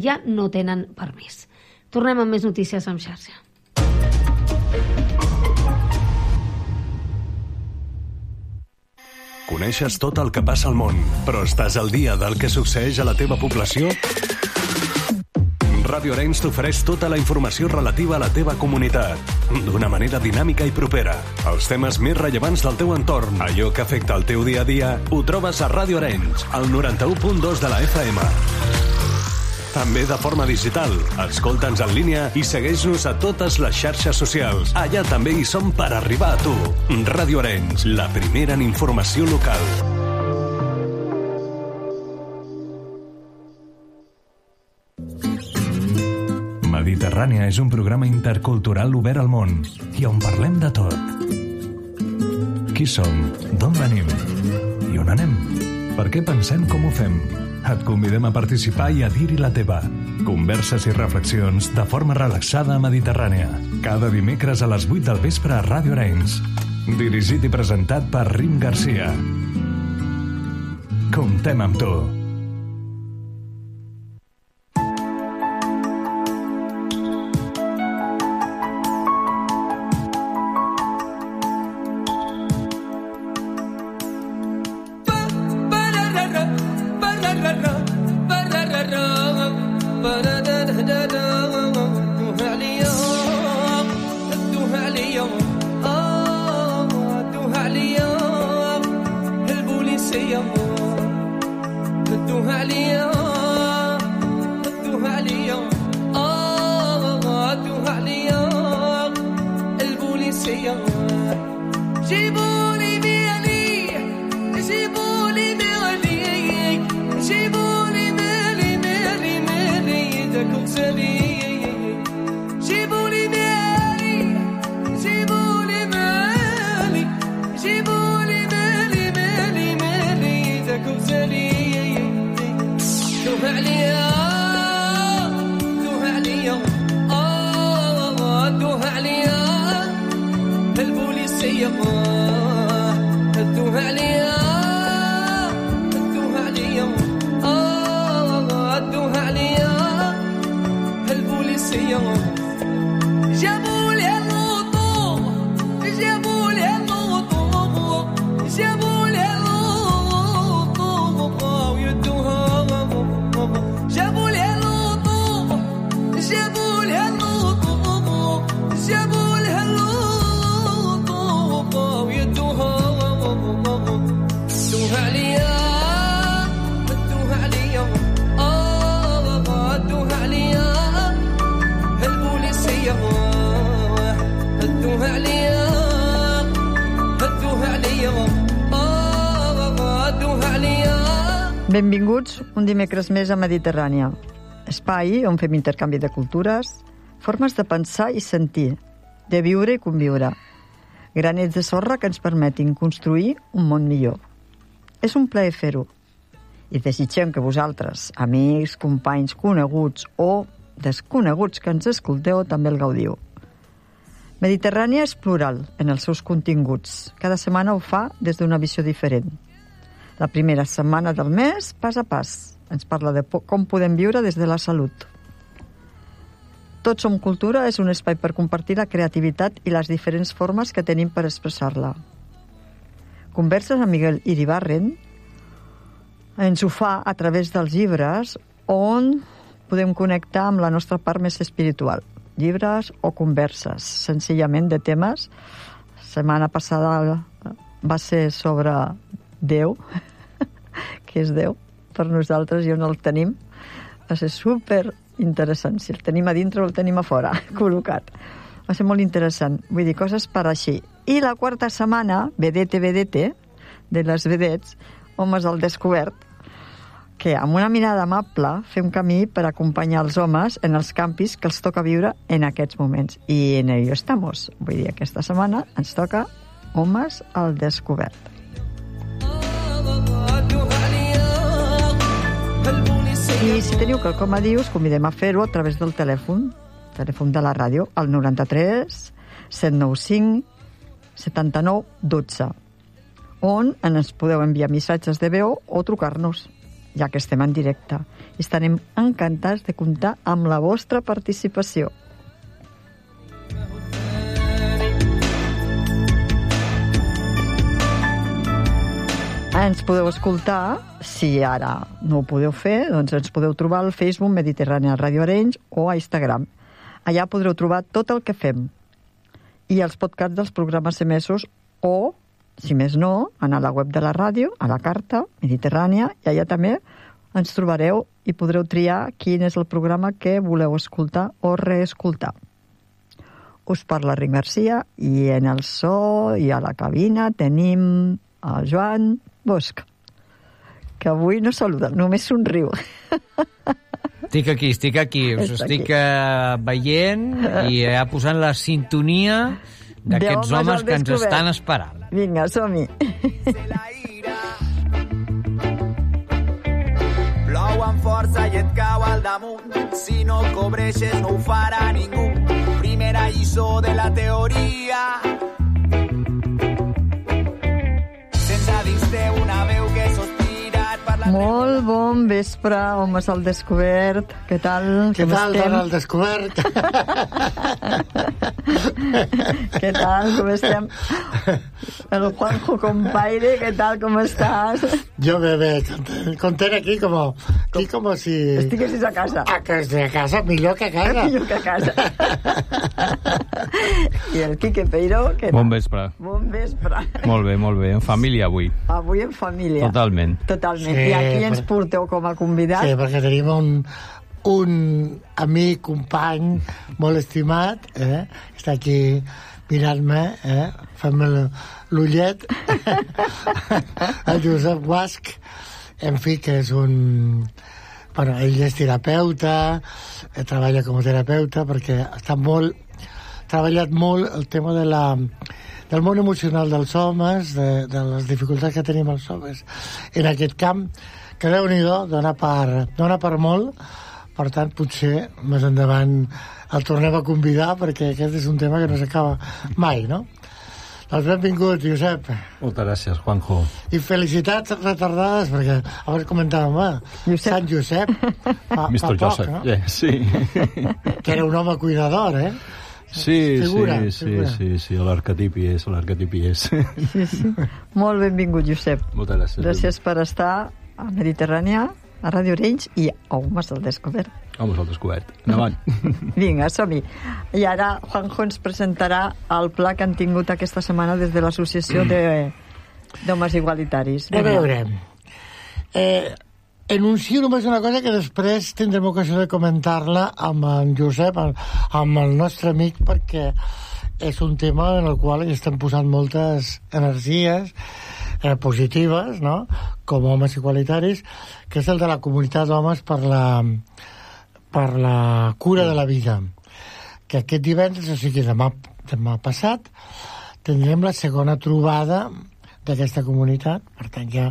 ja no tenen permís. Tornem amb més notícies en xarxa. Coneixes tot el que passa al món, però estàs al dia del que succeeix a la teva població? Ràdio Arenys t'ofereix tota la informació relativa a la teva comunitat, d'una manera dinàmica i propera. Els temes més rellevants del teu entorn, allò que afecta el teu dia a dia, ho trobes a Ràdio Arenys, al 91.2 de la FM. També de forma digital. Escolta'ns en línia i segueix-nos a totes les xarxes socials. Allà també hi som per arribar a tu. Ràdio Arenys, la primera en informació local. Mediterrània és un programa intercultural obert al món i on parlem de tot. Qui som? D'on venim? I on anem? Per què pensem com ho fem? Et convidem a participar i a dir-hi la teva. Converses i reflexions de forma relaxada a Mediterrània. Cada dimecres a les 8 del vespre a Ràdio Arenys. Dirigit i presentat per Rim Garcia. Comptem amb tu. Benvinguts un dimecres més a Mediterrània, espai on fem intercanvi de cultures, formes de pensar i sentir, de viure i conviure, granets de sorra que ens permetin construir un món millor. És un plaer fer-ho i desitgem que vosaltres, amics, companys, coneguts o desconeguts que ens escolteu, també el gaudiu. Mediterrània és plural en els seus continguts. Cada setmana ho fa des d'una visió diferent. La primera setmana del mes, pas a pas, ens parla de com podem viure des de la salut. Tots som cultura és un espai per compartir la creativitat i les diferents formes que tenim per expressar-la. Converses amb Miguel Iribarren ens ho fa a través dels llibres on podem connectar amb la nostra part més espiritual. Llibres o converses, senzillament de temes. La setmana passada va ser sobre Déu, que és Déu per nosaltres i on el tenim. Va ser super interessant, si el tenim a dintre o el tenim a fora, col·locat. Va ser molt interessant, vull dir, coses per així. I la quarta setmana, vedete, de les vedets, homes al descobert, que amb una mirada amable fem camí per acompanyar els homes en els campis que els toca viure en aquests moments. I en ello estamos. Vull dir, aquesta setmana ens toca homes al descobert. I si teniu quelcom a dir, us convidem a fer-ho a través del telèfon de la ràdio, al 93 795 79 12, on ens podeu enviar missatges de veu o trucar-nos, ja que estem en directe. Estarem encantats de comptar amb la vostra participació. Ens podeu escoltar, si ara no ho podeu fer, doncs ens podeu trobar al Facebook Mediterrània Ràdio Arenys o a Instagram. Allà podreu trobar tot el que fem i els podcasts dels programes emesos o, si més no, anar a la web de la ràdio, a la carta Mediterrània, i allà també ens trobareu i podreu triar quin és el programa que voleu escoltar o reescoltar. Us parla Ric Garcia i en el so i a la cabina tenim el Joan Bosch, que avui no saluda, només somriu. Estic aquí. Us estic veient i posant la sintonia d'aquests homes que ens estan esperant. Vinga, som-hi. Plou amb força i et cau al damunt. Si no cobreixes no ho farà ningú. Primera lliçó de la teoria. Sense dins teu una veu que sospira et parla... Molt bon vespre, homes al descobert. Què tal? Què tal, dona al descobert? Què tal, com estem? El Juanjo compaire, què tal, com estàs? Jo bé, content aquí com si... Estiguessis a casa. A casa, millor que a casa. Millor que a casa. I el Quique Peiró, què tal? Bon vespre. Bon vespre. Molt bé, en família avui. Avui en família. Totalment. Sí, i aquí ens porteu com a convidat. Sí, perquè tenim un amic, company molt estimat, està aquí mirant-me, fem l'ullet, el Josep Guasch, en fi, que és un... Bueno, ell és terapeuta, treballa com a terapeuta, perquè està treballat molt el tema del món emocional dels homes, de les dificultats que tenim els homes en aquest camp, que Déu-n'hi-do, dona per molt. Per tant, potser més endavant el tornem a convidar, perquè aquest és un tema que no s'acaba mai, no? Doncs benvingut, Josep. Moltes gràcies, Juanjo. I felicitats retardades, perquè abans comentàvem, Sant Josep, fa Mr. poc, Joseph, no? yeah, sí. Que era un home cuidador, Sí, figura. l'arquetip hi és. Sí. Molt benvingut, Josep. Moltes gràcies. Gràcies per estar a Mediterrània, a Ràdio Arenys i a Homes al Descobert. Homes al Descobert. Endavant. Vinga, som-hi. I ara Juanjo ens presentarà el pla que han tingut aquesta setmana des de l'Associació d'Homes Igualitaris. A veure, enuncio només una cosa que després tindrem ocasió de comentar-la amb en Josep, amb el nostre amic, perquè és un tema en el qual hi estem posant moltes energies positives, no?, com a homes igualitaris, que és el de la comunitat d'homes per la cura de la vida, que aquest divendres, o sigui demà passat, tindrem la segona trobada d'aquesta comunitat, per tant ja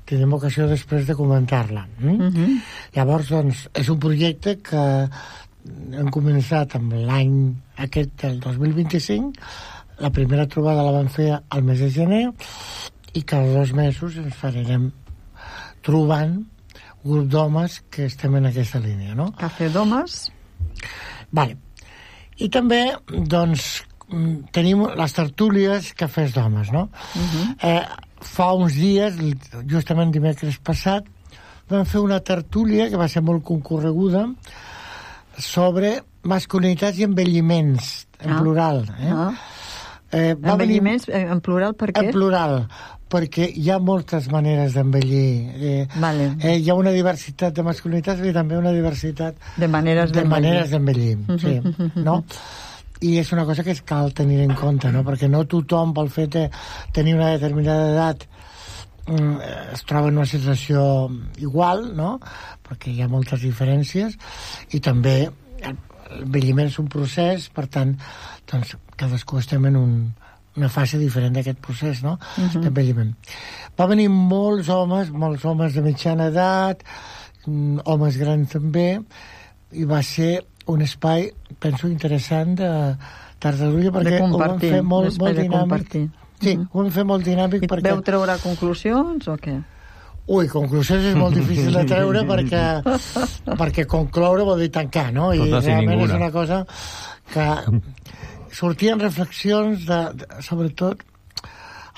tindrem ocasió després de comentar-la. Llavors, doncs, és un projecte que hem començat amb l'any aquest del 2025, la primera trobada la vam fer al mes de gener, i cada 2 mesos ens farem trobant un grup d'homes que estem en aquesta línia, no? Cafè d'homes. Vale. I també, doncs, tenim les tertúlies cafès d'homes, no? Fa uns dies, justament dimecres passat, vam fer una tertúlia que va ser molt concorreguda sobre masculinitats i envelliments, en plural. Envelliments en plural, per què? En plural, perquè hi ha moltes maneres d'envellir. Hi ha una diversitat de masculinitats i també una diversitat de maneres d'envellir. Sí, no? I és una cosa que cal tenir en compte, no? Perquè no tothom, pel fet de tenir una determinada edat, es troba en una situació igual, no? Perquè hi ha moltes diferències, i també l'envelliment és un procés, per tant, doncs, cadascú estem en una fase diferent d'aquest procés, no?, d'envelliment. Va venir molts homes de mitjana edat, homes grans també, i va ser un espai, penso, interessant de tertúlia, perquè ho vam fer molt dinàmic. Sí, ho vam fer molt dinàmic. I veu treure conclusions o què? Ui, conclusions és molt difícil de treure perquè concloure vol dir tancar, no? I realment és una cosa que sortien reflexions sobretot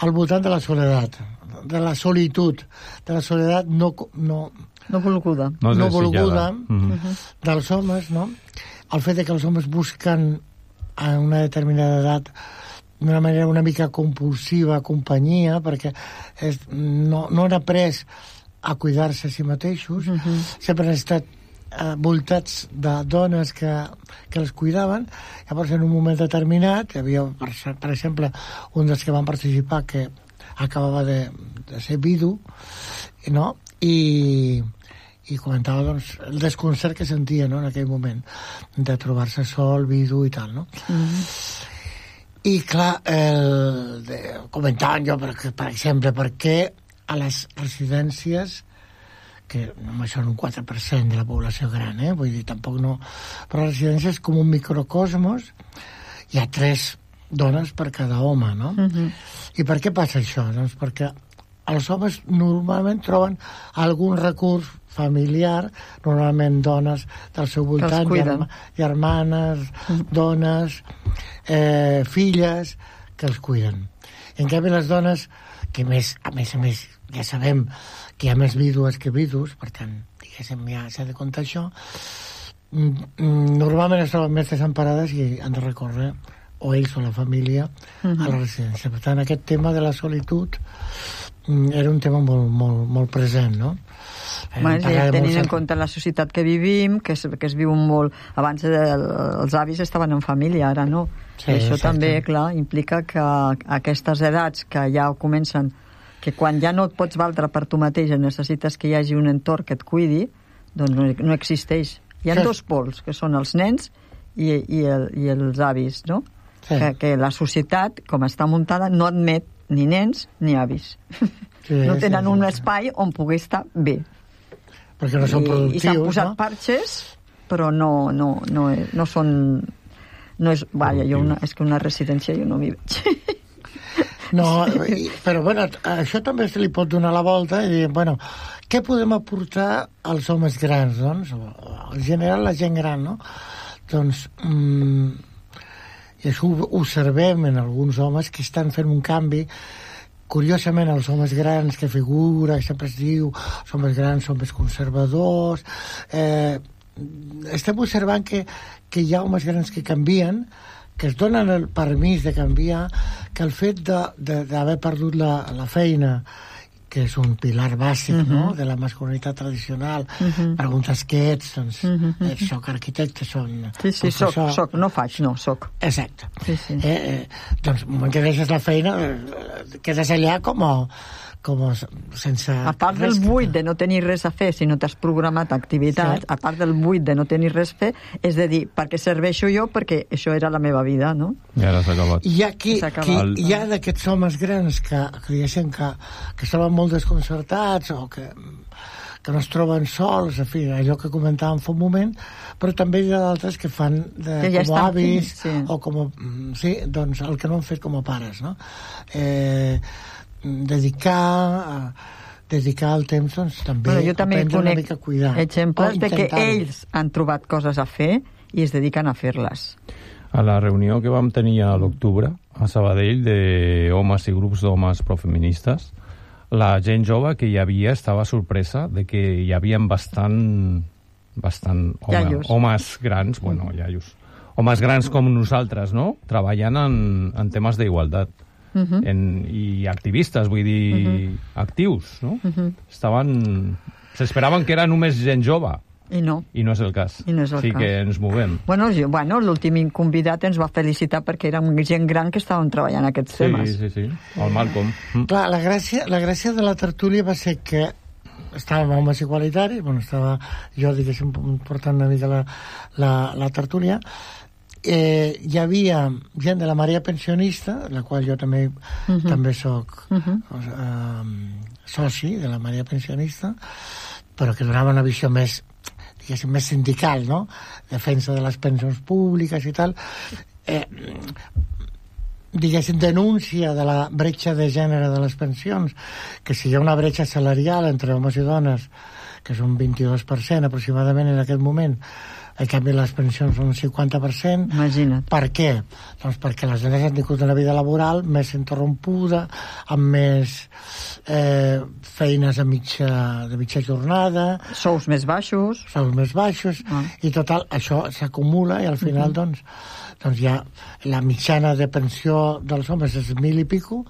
al voltant de la soledat, de la solitud, de la soledat no volguda. No volguda dels homes, no? El fet que els homes busquen a una determinada edat d'una manera una mica compulsiva companyia, perquè no han après a cuidar-se a si mateixos, sempre han estat voltats de dones que els cuidaven. Llavors, en un moment determinat, hi havia, per exemple, un dels que van participar que acabava de ser vidu, no? I comentava doncs, el desconcert que sentia, no?, en aquell moment de trobar-se sol, vidu i tal, no? I clar, comentaven jo, per exemple, per què a les residències, que només són un 4% de la població gran, vull dir, tampoc no... Però a les residències, com un microcosmos, hi ha 3 dones per cada home, no? I per què passa això? Doncs perquè els homes normalment troben algun recurs familiar, normalment dones del seu voltant, germanes, dones, filles, que els cuiden. En canvi, les dones, que a més, ja sabem que hi ha més vídues que vidus, per tant, diguéssim, ja s'ha de comptar això, normalment es troben més desemparades i han de recórrer, o ells o la família, a la residència. Per tant, aquest tema de la solitud era un tema molt, molt, molt present, no? Tenint en compte la societat que vivim, que es viu molt... Abans els avis estaven en família, ara no. Sí, això també, clar, implica que aquestes edats que ja comencen, que quan ja no et pots valdre per tu mateix necessites que hi hagi un entorn que et cuidi, doncs no existeix. Hi ha 2 pols, que són els nens i els avis, no? Sí. Que la societat, com està muntada, no admet ni nens ni avis. Sí, no tenen un espai on pugui estar bé. Perquè no són productius, i s'han posat parxes, però no són... No és, vaja, és que una residència jo no m'hi veig. No, però bueno, això també se li pot donar la volta i dir, bueno, què podem aportar als homes grans, doncs? En general, la gent gran, no? Doncs, i això ho observem en alguns homes que estan fent un canvi. Curiosament, els homes grans que figura, sempre es diu, els homes grans són més conservadors. Estem observant que hi ha homes grans que canvien, que es donen el permís de canviar, que el fet d'haver perdut la feina, que és un pilar bàsic, no?, de la masculinitat tradicional, preguntes què ets, doncs, soc arquitecte, Sí, soc, no faig, no, soc. Exacte. Sí. Doncs, el moment que deixes la feina, quedes allà com sense... A part del buit de no tenir res a fer, si no t'has programat activitats, a part del buit de no tenir res a fer, és de dir, per què serveixo jo? Perquè això era la meva vida, no? I ara s'ha acabat. Hi ha d'aquests homes grans que diguéssim que estaven molt desconcertats o que no es troben sols, en fi, allò que comentàvem fa un moment, però també hi ha d'altres que fan com a avis o com a... Sí, doncs el que no han fet com a pares, no? Dedicar el temps, doncs, també jo també aprendre una mica a cuidar. Exemples de que ells han trobat coses a fer i es dediquen a fer-les. A la reunió que vam tenir a l'octubre a Sabadell d'homes i grups d'homes profeministes, la gent jove que hi havia estava sorpresa de que hi havia bastant homes grans, homes grans com nosaltres, no?, treballant en temes d'igualtat. I activistes, vull dir, actius, no? S'esperaven que era només gent jove. I no és el cas. Que ens movem. Bueno, l'últim convidat ens va felicitar perquè érem gent gran que estàvem treballant aquests temes. Sí, el Malcolm. Clar, la gràcia de la tertúlia va ser que estàvem homes igualitaris, estava jo, diguéssim, portant una mica la tertúlia. Hi havia gent de la marea pensionista, la qual jo també soc soci de la marea pensionista, però que donava una visió més, diguéssim, més sindical, no?, defensa de les pensions públiques i tal. diguéssim, denúncia de la bretxa de gènere de les pensions, que si hi ha una bretxa salarial entre homes i dones, que és un 22% aproximadament en aquest moment, en canvi les pensions són un 50%. Imagina't. Per què? Doncs perquè les dones han tingut una vida laboral més interrompuda, amb més feines de mitja jornada, Sous més baixos. I total, això s'acumula i al final doncs ja la mitjana de pensió dels homes és 1.000 i pico,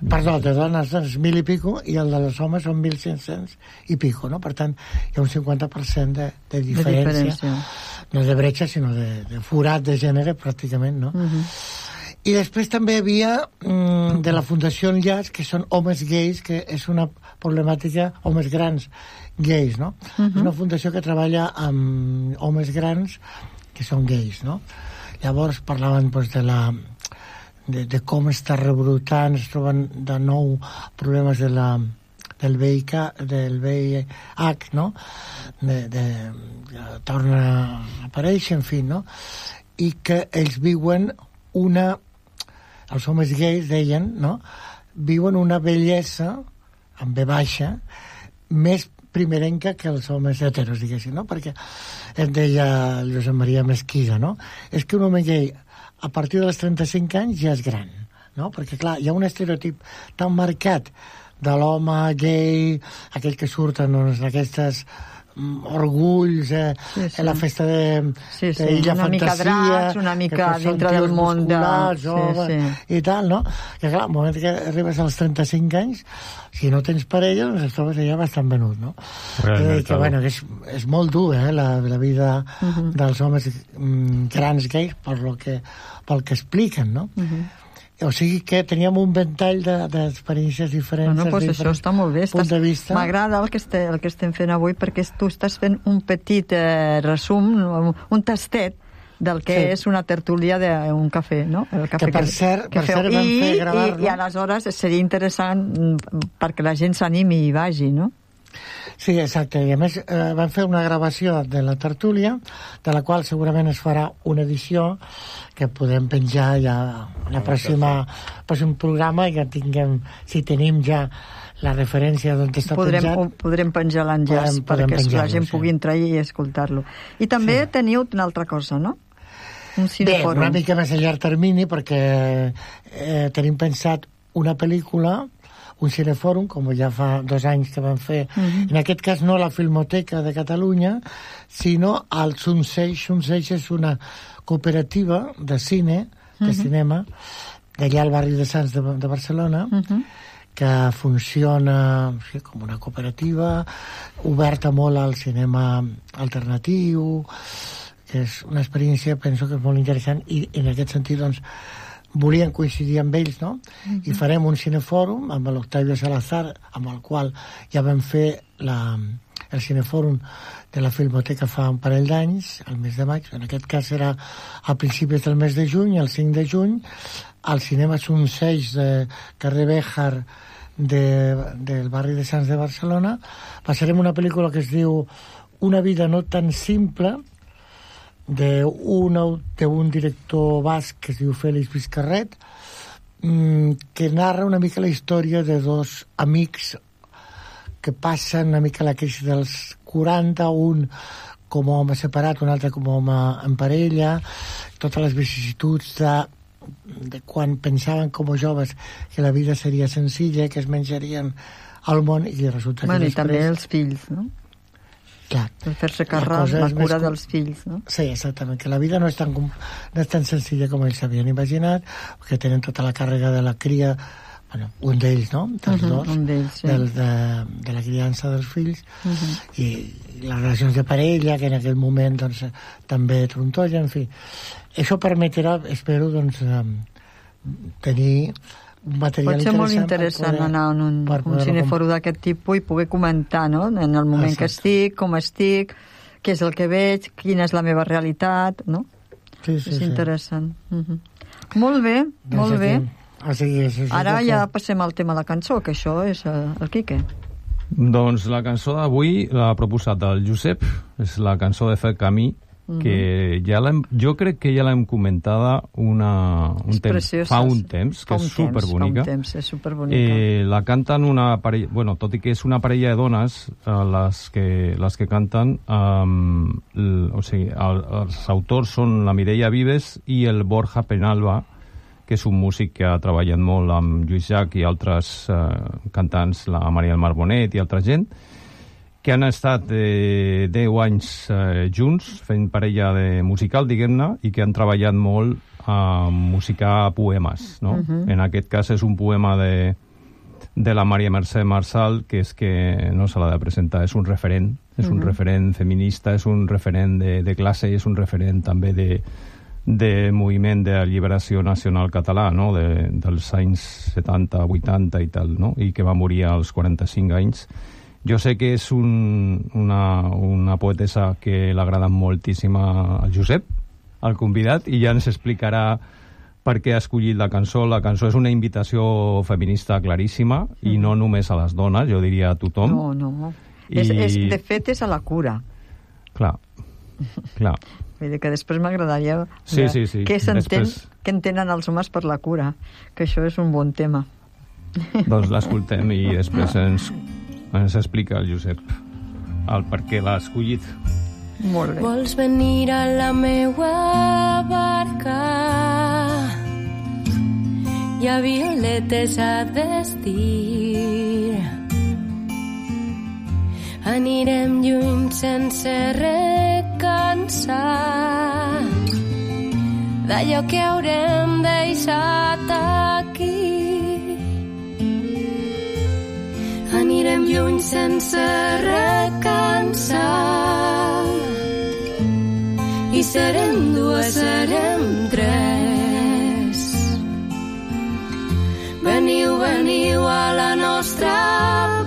perdó, de dones és 1.000 i pico, i el de les homes són 1.500 i pico, no? Per tant, hi ha un 50% de diferència. No de bretxa, sinó de forat de gènere, pràcticament, no? I després també hi havia de la Fundació Enllaç, que són homes gais, que és una problemàtica, homes grans gais, no? És una fundació que treballa amb homes grans que són gais, no? Llavors parlaven doncs, de com està rebrotant, es troben de nou problemes del VIH, no? Torna a aparèixer, en fi, no? I que ells viuen els homes gais, deien, no? Viuen una bellesa, amb B baixa, més primerenca que els homes heteros, diguéssim, no? Perquè em deia el Josep Maria Mesquida, no? És que un home gay a partir dels 35 anys ja és gran, no? Perquè, clar, hi ha un estereotip tan marcat de l'home gay, aquell que surten en aquestes orgulls, la festa d'Illa una mica Fantasia, dracs, una mica dintre del món i tal, no? Que clar, al moment que arribes als 35 anys, si no tens parella, doncs et trobes allà bastant venut, no? Que, bueno, que és molt dur, la vida dels homes grans gais pel que expliquen, no? O sigui que teníem un ventall d'experiències diferents. Bueno, doncs això està molt bé. M'agrada el que estem fent avui, perquè tu estàs fent un petit resum, un tastet del que és una tertúlia d'un cafè, no? El cafè que per cert vam fer gravar-lo. I aleshores seria interessant perquè la gent s'animi i vagi, no? Sí, exacte. I a més vam fer una gravació de la tertúlia, de la qual segurament es farà una edició que podem penjar ja en el pròxim programa, ja tinguem, si tenim ja la referència d'on està penjat. Podrem penjar l'enllaç perquè la gent pugui entrar i escoltar-lo. I també teniu una altra cosa, no? Un cinefòrum. Bé, una mica més a llarg termini, perquè tenim pensat una pel·lícula, un cinefòrum, com ja fa 2 anys que vam fer, en aquest cas no la Filmoteca de Catalunya, sinó al Sunseix. Sunseix és una cooperativa de cine, de cinema, d'allà al barri de Sants de Barcelona, que funciona com una cooperativa, oberta molt al cinema alternatiu, que és una experiència, penso que és molt interessant, i en aquest sentit, doncs, volien coincidir amb ells, no? I farem un cinefòrum amb l'Octavio Salazar, amb el qual ja vam fer el cinefòrum de la Filmoteca fa un parell d'anys, al mes de maig. En aquest cas serà a principis del mes de juny, el 5 de juny, al cinema Sunseix de carrer Béjar del barri de Sants de Barcelona. Passarem una pel·lícula que es diu Una vida no tan simple, d'un director basc que es diu Félix Vizcarret, que narra una mica la història de 2 amics que passen una mica la crisi dels 40, un com a home separat, un altre com a home en parella, totes les vicissituds de quan pensaven com a joves que la vida seria senzilla, que es menjarien al món, i resulta que després... I també els fills, no? Clar. Per fer-se càrrec, la cura dels fills, no? Sí, exactament, que la vida no és tan senzilla com ells s'havien imaginat, perquè tenen tota la càrrega de la cria, bueno, un d'ells, no? Dels dos, un d'ells, sí. de la criança dels fills, i les relacions de parella, que en aquell moment doncs, també trontollen, en fi. Això permetrà, espero, doncs, tenir un material interessant. Pot ser molt interessant anar a un cinefòrum d'aquest tipus i poder comentar, no?, en el moment que estic, com estic, què és el que veig, quina és la meva realitat, no? Sí, és interessant. Molt bé, molt bé. Ara ja passem al tema de la cançó, que això és el Quique. Doncs la cançó d'avui l'ha proposat el Josep, és la cançó de Fer Camí, que jo crec que ja l'hem comentada fa un temps, que és superbonica. És superbonica. La canten una parella, bueno, tot i que és una parella de dones, les que canten, o sigui, els autors són la Mireia Vives i el Borja Penalba, que és un músic que ha treballat molt amb Lluís Llach i altres cantants, la Maria del Mar Bonet i altra gent, que han estat 10 anys junts fent parella musical, diguem-ne, i que han treballat molt a musicar poemes, no? En aquest cas és un poema de la Maria Mercè Marçal, que és que no se l'ha de presentar, és un referent feminista, és un referent de classe i és un referent també de moviment d'alliberació nacional català, no? Dels anys 70, 80 i tal, no? I que va morir als 45 anys. Jo sé que és una poetessa que l'agrada moltíssim al Josep, al convidat, i ja ens explicarà per què ha escollit la cançó. La cançó és una invitació feminista claríssima, i no només a les dones, jo diria a tothom. No. De fet, és a la cura. Clar. Vull dir que després m'agradaria sí. què entenen els homes per la cura, que això és un bon tema. Doncs l'escoltem i després ens explica el Josep el per què l'ha escollit. Molt bé. Vols venir a la meua barca? Hi ha violetes a vestir. Anirem lluny sense recansar d'allò que haurem deixat aquí. Anirem lluny sense recansar i serem dues, serem tres. Veniu, veniu a la nostra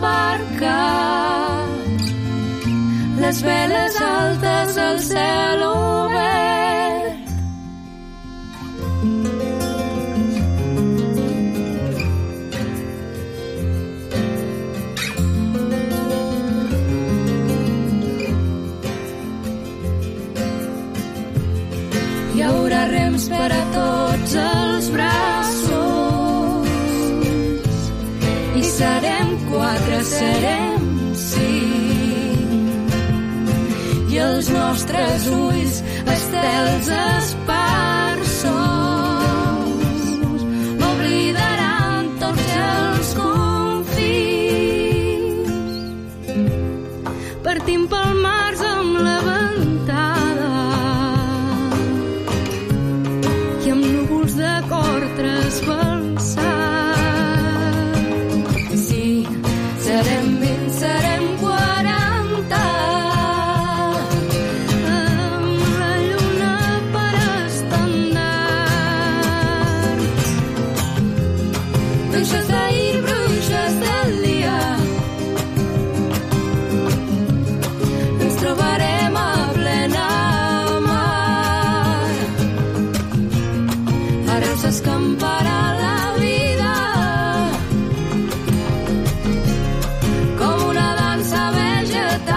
barca, les veles altes, el cel obert. Hi haurà rems per a tots els braços i serem 4, serem 5 i els nostres ulls estels esparsos oblidaran tots els confins. Partim pel març amb la ventada i amb núvols de cor trasbalsat. Sí, serem 20, serem 40, amb la lluna per estendard. Bruixes d'ahir, bruixes del dia, ens trobarem a plena mar. Ara s'escamparà la vida com una dansa vegetal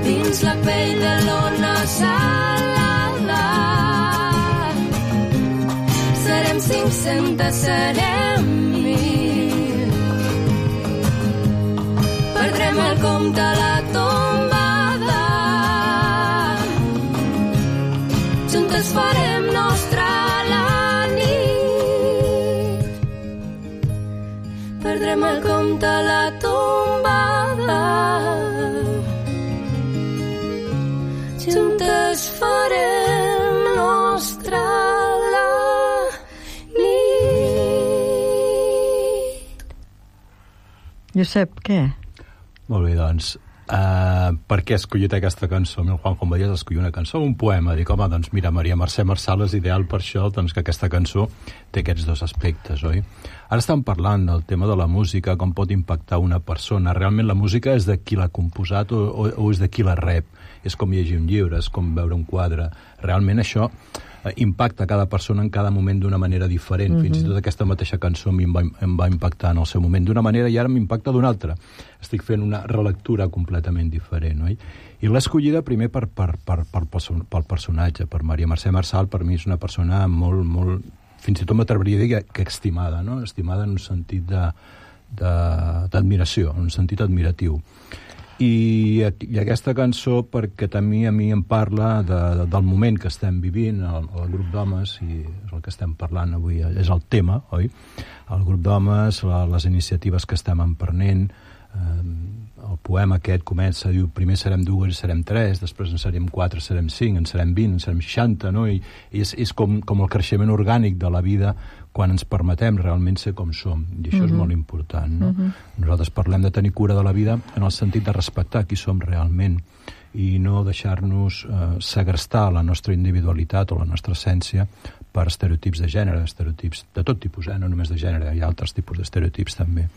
dins la pell de l'ona salada. Serem 500, serem 1000. Perdrem el compte a la tombada. Juntes farem nostra la nit. Perdrem el compte a la tombada. Juntes farem nostra la nit. Josep, què? Molt bé, doncs, per què he escollit aquesta cançó? El Juan, com veies, escollir una cançó o un poema? Dic, home, doncs mira, Maria Mercè Marçal és ideal per això, doncs que aquesta cançó té aquests dos aspectes, oi? Ara estem parlant del tema de la música, com pot impactar una persona. Realment la música és de qui l'ha composat o és de qui la rep? És com llegir un llibre, és com veure un quadre. Realment això impacta cada persona en cada moment d'una manera diferent. Fins i tot aquesta mateixa cançó a mi em va impactar en el seu moment d'una manera i ara m'impacta d'una altra. Estic fent una relectura completament diferent, oi? I l'he escollida primer pel personatge, per Maria Mercè Marçal. Per mi és una persona molt fins i tot m'atreviria a dir que estimada, no? Estimada en un sentit d'admiració, en un sentit admiratiu. I aquesta cançó, perquè també a mi em parla del moment que estem vivint, el grup d'homes, i és el que estem parlant avui, és el tema, oi? El grup d'homes, les iniciatives que estem emprenent, el poema aquest comença, diu, primer serem 2 i serem 3, després en serem 4, serem 5, en serem 20, en serem 60, no? I és com el creixement orgànic de la vida quan ens permetem realment ser com som, i això és molt important, no? Nosaltres parlem de tenir cura de la vida en el sentit de respectar qui som realment i no deixar-nos segrestar la nostra individualitat o la nostra essència per estereotips de gènere, estereotips de tot tipus, no només de gènere, hi ha altres tipus d'estereotips també.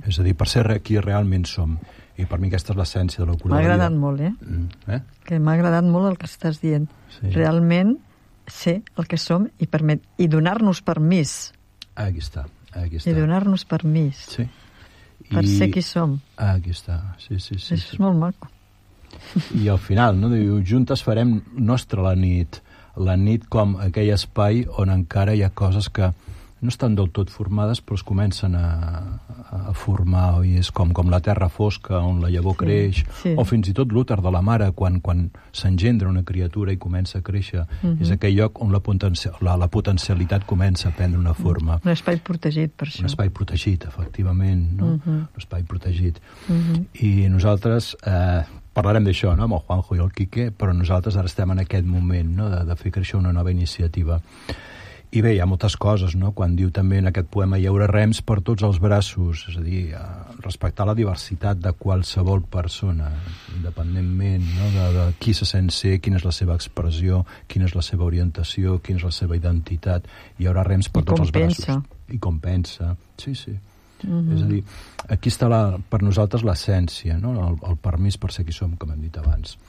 És a dir, per ser qui realment som. I per mi aquesta és l'essència de la cura de la vida. M'ha agradat molt, Que m'ha agradat molt el que estàs dient. Sí. Realment ser el que som i donar-nos permís. Aquí està. I donar-nos permís. Sí. Per ser qui som. Aquí està, sí. Això és molt maco. I al final, no? Diu, juntes farem nostra la nit com aquell espai on encara hi ha coses que no estan del tot formades, però es comencen a formar, i és com la terra fosca on la llavor creix, o fins i tot l'úter de la mare quan s'engendra una criatura i comença a créixer. És aquell lloc on la potencialitat comença a prendre una forma. Un espai protegit, per això. Un espai protegit, efectivament, no? Un espai protegit. I nosaltres parlarem d'això, no?, amb el Juanjo i el Quique, però nosaltres ara estem en aquest moment, no?, de fer créixer una nova iniciativa. I bé, hi ha moltes coses, no?, quan diu també en aquest poema hi haurà rems per tots els braços, és a dir, respectar la diversitat de qualsevol persona, independentment, no?, de qui se sent ser, quina és la seva expressió, quina és la seva orientació, quina és la seva identitat. Hi haurà rems per tots els braços. I com pensa. Sí. És a dir, aquí està per nosaltres l'essència, no?, el permís per ser qui som, com hem dit abans.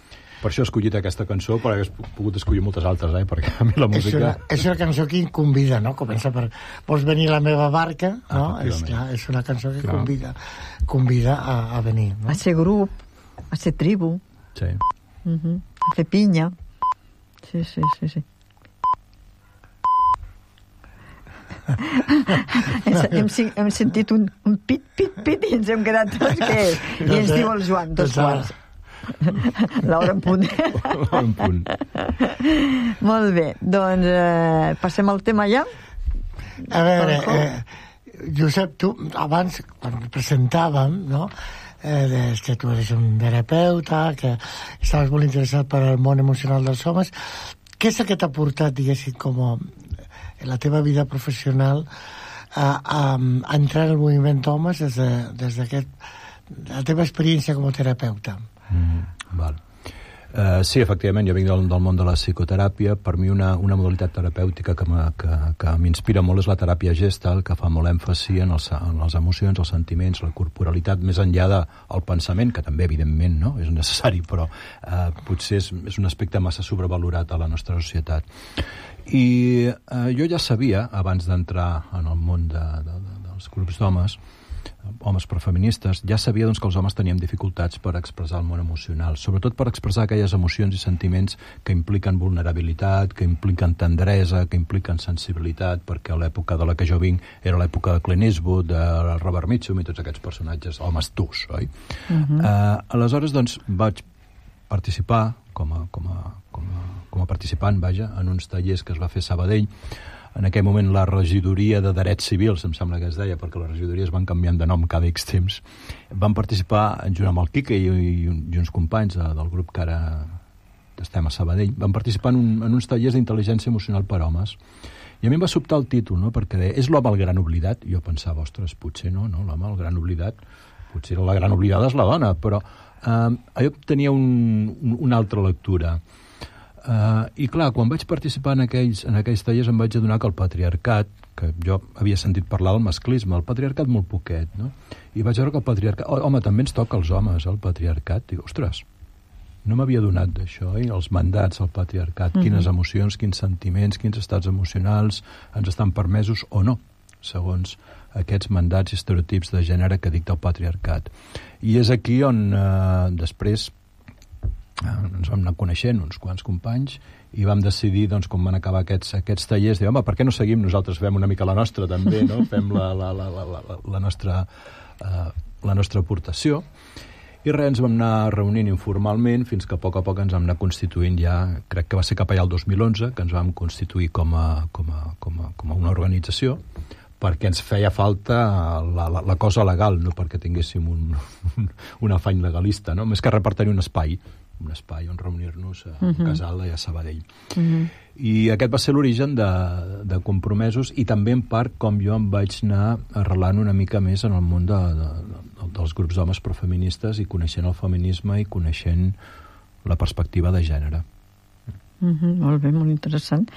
Per això he escollit aquesta cançó, però hagués pogut escollir moltes altres, perquè a mi la música... És una cançó que convida, no? Comença per... Vols venir a la meva barca? No? És una cançó que convida a venir. No? A ser grup, a ser tribu. Sí. A fer pinya. Sí. Hem sentit un pit i ens hem quedat tots que és. I ens diu el Joan, 2:15. L'hora en punt. Molt bé, doncs passem al tema ja. A veure, Josep, tu abans, quan presentàvem, no?, que tu eres un terapeuta, que estaves molt interessat per al món emocional dels homes. Què és el que t'ha portat, diguéssim, com en la teva vida professional a entrar al moviment d'homes des d'aquest la teva experiència com a terapeuta? Val. Sí, efectivament, jo vinc del món de la psicoteràpia. Per mi una modalitat terapèutica que m'inspira molt és la teràpia Gestalt, que fa molt èmfasi en les emocions, els sentiments, la corporalitat, més enllà del pensament, que també, evidentment, no?, és necessari, però potser és un aspecte massa sobrevalorat a la nostra societat. I jo ja sabia, abans d'entrar en el món dels grups d'homes, homes profeministes, ja sabia doncs, que els homes teníem dificultats per expressar el món emocional, sobretot per expressar aquelles emocions i sentiments que impliquen vulnerabilitat, que impliquen tendresa, que impliquen sensibilitat, perquè a l'època de la que jo vinc era l'època de Clint Eastwood, de Robert Mitchum i tots aquests personatges, homes tus, oi? Aleshores, doncs, vaig participar com a participant, en uns tallers que es va fer a Sabadell. En aquell moment la regidoria de drets civils, em sembla que es deia, perquè les regidories van canviant de nom cada X temps, van participar, junt amb el Quique i uns companys del grup que ara estem a Sabadell, van participar en uns tallers d'intel·ligència emocional per homes. I a mi em va sobtar el títol, no?, perquè deia, és l'home el gran oblidat. I jo pensava, ostres, potser no, l'home el gran oblidat, potser la gran oblidada és la dona, però allò tenia una altra lectura. I clar, quan vaig participar en aquells tallers em vaig adonar que el patriarcat, que jo havia sentit parlar del masclisme, el patriarcat molt poquet, no? I vaig veure que el patriarcat... Home, també ens toca als homes, el patriarcat. Dic, ostres, no m'havia donat d'això, els mandats al patriarcat, quines emocions, quins sentiments, quins estats emocionals ens estan permesos o no, segons aquests mandats i estereotips de gènere que dicta el patriarcat. I és aquí on després ens vam anar coneixent uns quants companys i vam decidir, doncs, quan van acabar aquests tallers, dir, home, per què no seguim nosaltres, fem una mica la nostra també, no? Fem la nostra aportació. I res, ens vam anar reunint informalment fins que a poc ens vam anar constituint ja, crec que va ser cap allà el 2011, que ens vam constituir com a una organització, perquè ens feia falta la cosa legal, no perquè tinguéssim un afany legalista, no? Més que res per tenir un espai on reunir-nos a Casal i a Sabadell. I aquest va ser l'origen de Compromesos i també en part com jo em vaig anar arrelant una mica més en el món dels grups d'homes profeministes i coneixent el feminisme i coneixent la perspectiva de gènere. Molt bé, molt interessant.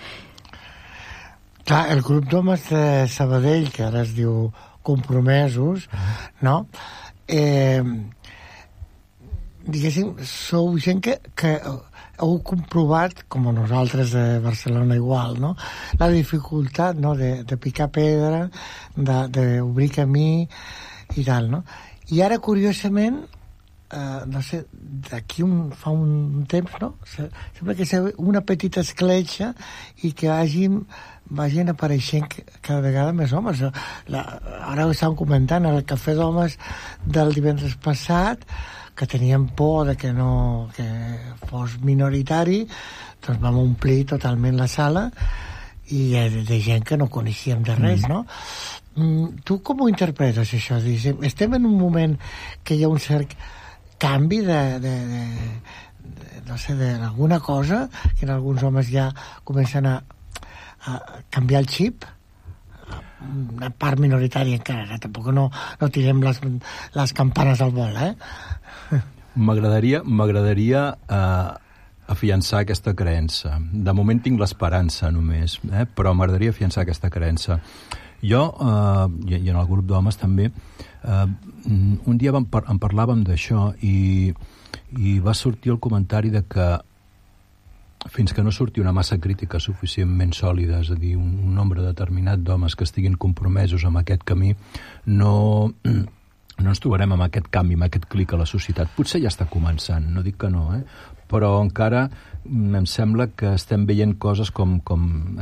Clar, el grup d'homes de Sabadell, que ara es diu Compromesos, no? Diguéssim, sou gent que heu comprovat, com nosaltres de Barcelona igual, no? La dificultat, no?, de picar pedra, d'obrir camí i tal, no? I ara, curiosament, no sé, d'aquí fa un temps, no? Sembla que sigui una petita escletxa i que vagin apareixent cada vegada més homes. Ara ho estàvem comentant, al Cafè d'Homes del divendres passat, que teníem por de que fos minoritari, doncs vam omplir totalment la sala i de gent que no coneixíem de res, no? Tu com ho interpretes, això? Estem en un moment que hi ha un cert canvi no sé, d'alguna cosa, que en alguns homes ja comencen a canviar el xip, una part minoritària encara, tampoc no tirem les campanes al vol, M'agradaria afiançar aquesta creença. De moment tinc l'esperança només, però m'agradaria afiançar aquesta creença. Jo, i en el grup d'homes també, un dia en parlàvem d'això i va sortir el comentari de que fins que no surti una massa crítica suficientment sòlida, és a dir, un nombre determinat d'homes que estiguin compromesos amb aquest camí, no ens trobarem amb aquest canvi, amb aquest clic a la societat. Potser ja està començant, no dic que no, però encara em sembla que estem veient coses com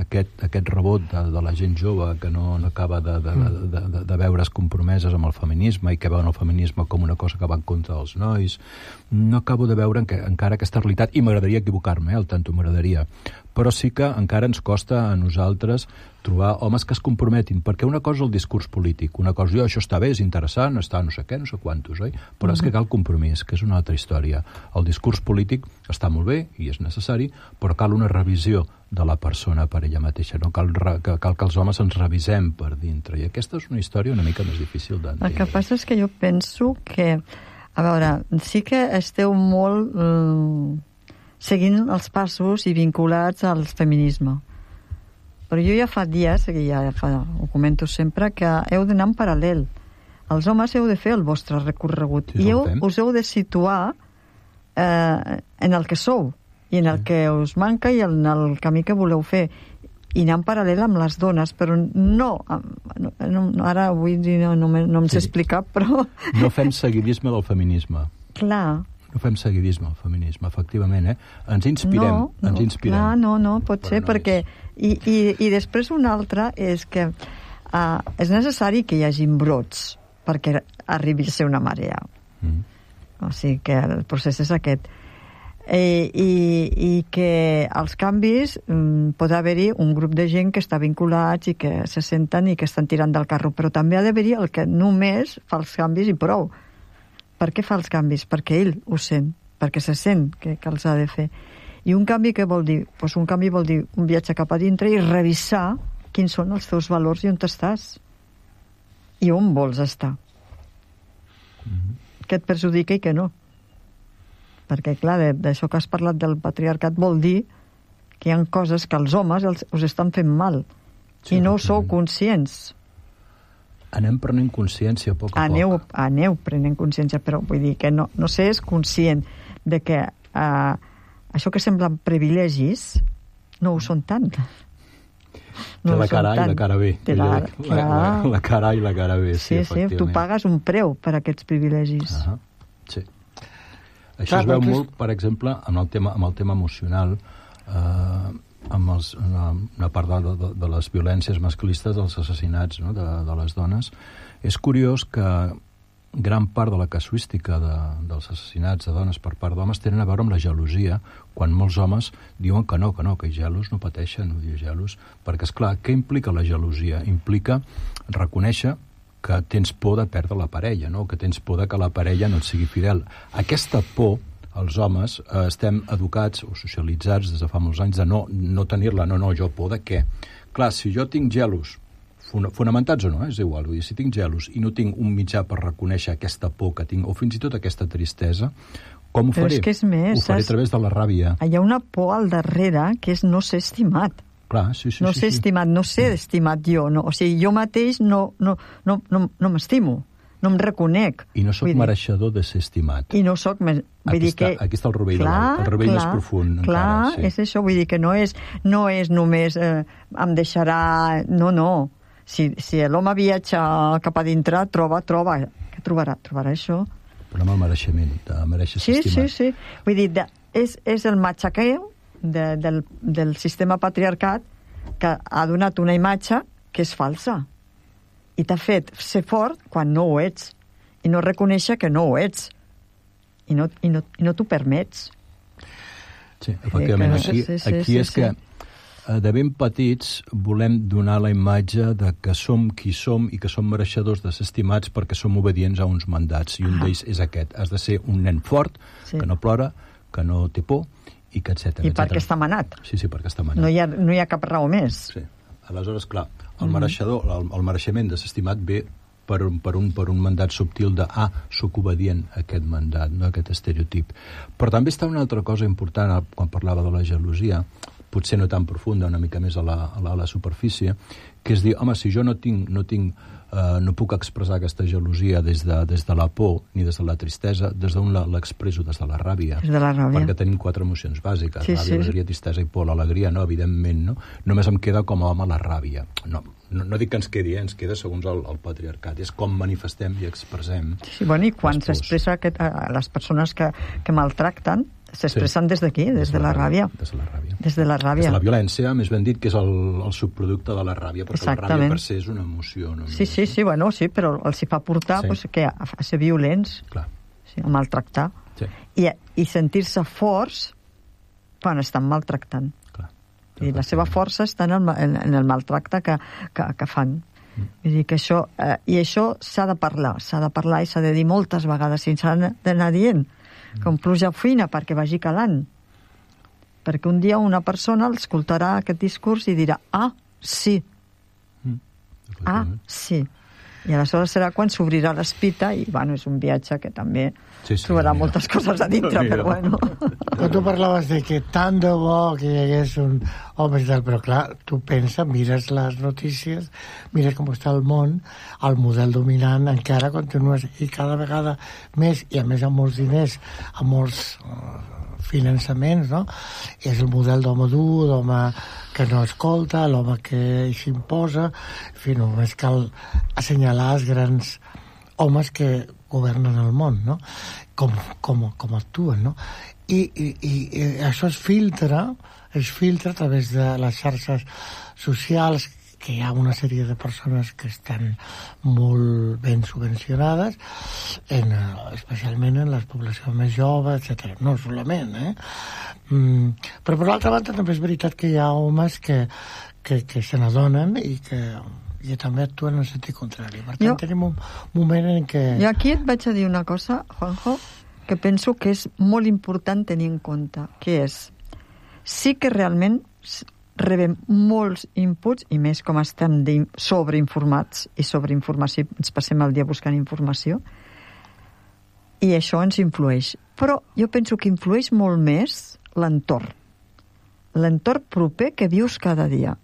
aquest rebot de la gent jove que no acaba de veure's compromeses amb el feminisme i que veuen el feminisme com una cosa que va en contra dels nois. No acabo de veure encara aquesta realitat, i m'agradaria equivocar-me, al tanto m'agradaria, però sí que encara ens costa a nosaltres trobar homes que es comprometin, perquè una cosa és el discurs polític, una cosa, això està bé, és interessant, està no sé què, no sé quantos, oi? Però és que cal compromís, que és una altra història. El discurs polític està molt bé i és necessari, però cal una revisió de la persona per ella mateixa, no? Cal que els homes ens revisem per dintre, i aquesta és una història una mica més difícil d'entendre. El que passa és que jo penso que, a veure, sí que esteu molt seguint els passos i vinculats al feminisme. Però jo ja fa dies, ho comento sempre, que heu d'anar en paral·lel. Els homes heu de fer el vostre recorregut i us heu de situar en el que sou i en el que us manca i en el camí que voleu fer, i anar en paral·lel amb les dones, però no ara avui no em sé explicar, però... No fem seguidisme del feminisme. Clar. No fem seguidisme del feminisme, efectivament, Ens inspirem, Clar, no, pot ser, perquè... I després una altra és que és necessari que hi hagi brots perquè arribi a ser una marea. O sigui que el procés és aquest. I que els canvis pot haver-hi un grup de gent que està vinculats i que se senten i que estan tirant del carro, però també ha d'haver-hi el que només fa els canvis i prou. Per què fa els canvis? Perquè ell ho sent, perquè se sent que els ha de fer. I un canvi què vol dir? Pues un canvi vol dir un viatge cap a dintre i revisar quins són els teus valors i on estàs. I on vols estar. Què et perjudica i què no. Perquè, clar, d'això que has parlat del patriarcat vol dir que hi ha coses que els homes us estan fent mal. Sí, i no sou conscients. Anem prenent consciència a poc a poc. Aneu prenent consciència, però vull dir que no s'és conscient de que això que semblen privilegis no ho són tant. No la cara A i la cara B. La cara A i la cara B, sí, efectivament. Tu pagues un preu per aquests privilegis. Sí. Això es veu molt, per exemple, amb el tema emocional, amb una part de les violències masclistes, dels assassinats, no?, de les dones. És curiós que gran part de la casuística dels assassinats de dones per part d'homes tenen a veure amb la gelosia, quan molts homes diuen que no, que gelos no pateixen, gelos, perquè, esclar, què implica la gelosia? Implica reconèixer que tens por de perdre la parella, no?, que tens por de que la parella no et sigui fidel. Aquesta por, els homes, estem educats o socialitzats des de fa molts anys de no tenir-la, jo por de què? Clar, si jo tinc gelos, fonamentats o no, és igual, vull dir, si tinc gelos i no tinc un mitjà per reconèixer aquesta por que tinc, o fins i tot aquesta tristesa, com ho faré? Però és que és més, ho faré a través de la ràbia. Hi ha una por al darrere que és no ser estimat. Clar, sí. No ser estimat, no ser estimat jo. No. O sigui, jo mateix no m'estimo, no em reconec. I no sóc mereixedor de ser estimat. I no sóc... Aquí està el rovell, el rovell més profund. Clar, encara, sí. És això, vull dir que no és només em deixarà... No. Si l'home viatja cap a dintre, troba. Què trobarà? Trobarà això. Però amb el mereixement, de mereixer ser estimat. Sí. Vull dir, és el matxaqueu del sistema patriarcat que ha donat una imatge que és falsa i t'ha fet ser fort quan no ho ets i no reconèixer que no ho ets i no t'ho permets. Sí, efectivament, aquí és que de ben petits volem donar la imatge de que som qui som i que som mereixedors de ser estimats perquè som obedients a uns mandats, i un d'ells és aquest: has de ser un nen fort, que no plora, que no té por, i que etcètera. I perquè està manat. Sí, perquè està manat. No hi ha cap raó més. Sí. Aleshores, clar, el mereixement de ser estimat ve per un mandat subtil de soc obedient a aquest mandat, no, a aquest estereotip. Però també està una altra cosa important quan parlava de la gelosia, potser no tan profunda, una mica més a la superfície, que és dir, home, si jo no puc expressar aquesta gelosia des de la por ni des de la tristesa, des d'on l'expresso? Des de la ràbia. Des de la ràbia. Perquè tenim 4 emocions bàsiques, ràbia, alegria, tristesa i por. L'alegria no, evidentment, no? Només em queda com a home la ràbia. No dic que ens quedi, ens queda segons el patriarcat. És com manifestem i expressem. Sí, bueno, i quan s'expressa les persones que maltracten, s'expressen des d'aquí, des de la ràbia. Des de la ràbia. Des de la ràbia. Des de la violència, més ben dit, que és el subproducte de la ràbia, perquè la ràbia per ser és una emoció. No? Sí, però els hi fa portar a ser violents, a maltractar. Sí. I sentir-se forts quan estan maltractant. I la seva força està en el maltracte que fan. Vull dir que això s'ha de parlar i s'ha de dir moltes vegades, i s'ha d'anar dient com pluja fina perquè vagi calant, perquè un dia una persona escoltarà aquest discurs i dirà sí, i aleshores serà quan s'obrirà l'espita i és un viatge que també trobarà moltes coses a dintre, però bueno. Quan tu parlaves de que tant de bo que hi hagués un home i tal, però clar, tu pensa, mires les notícies, mires com està el món, el model dominant encara continua, i cada vegada més, i a més amb molts diners, amb molts finançaments, no? És el model d'home dur, d'home que no escolta, l'home que s'imposa, en fi, només cal assenyalar els grans homes que governen el món, no? Com actuen, no? I això es filtra a través de les xarxes socials, que hi ha una sèrie de persones que estan molt ben subvencionades, especialment en les poblacions més joves, etc. No solament, però per l'altra banda també és veritat que hi ha homes que se n'adonen i que també actuen en el sentit contrari. Per tant, tenim un moment en què... Jo aquí et vaig a dir una cosa, Juanjo, que penso que és molt important tenir en compte, que és, sí que realment rebem molts inputs, i més com estem sobreinformats i sobreinformació, ens passem el dia buscant informació, i això ens influeix. Però jo penso que influeix molt més l'entorn proper que vius cada dia.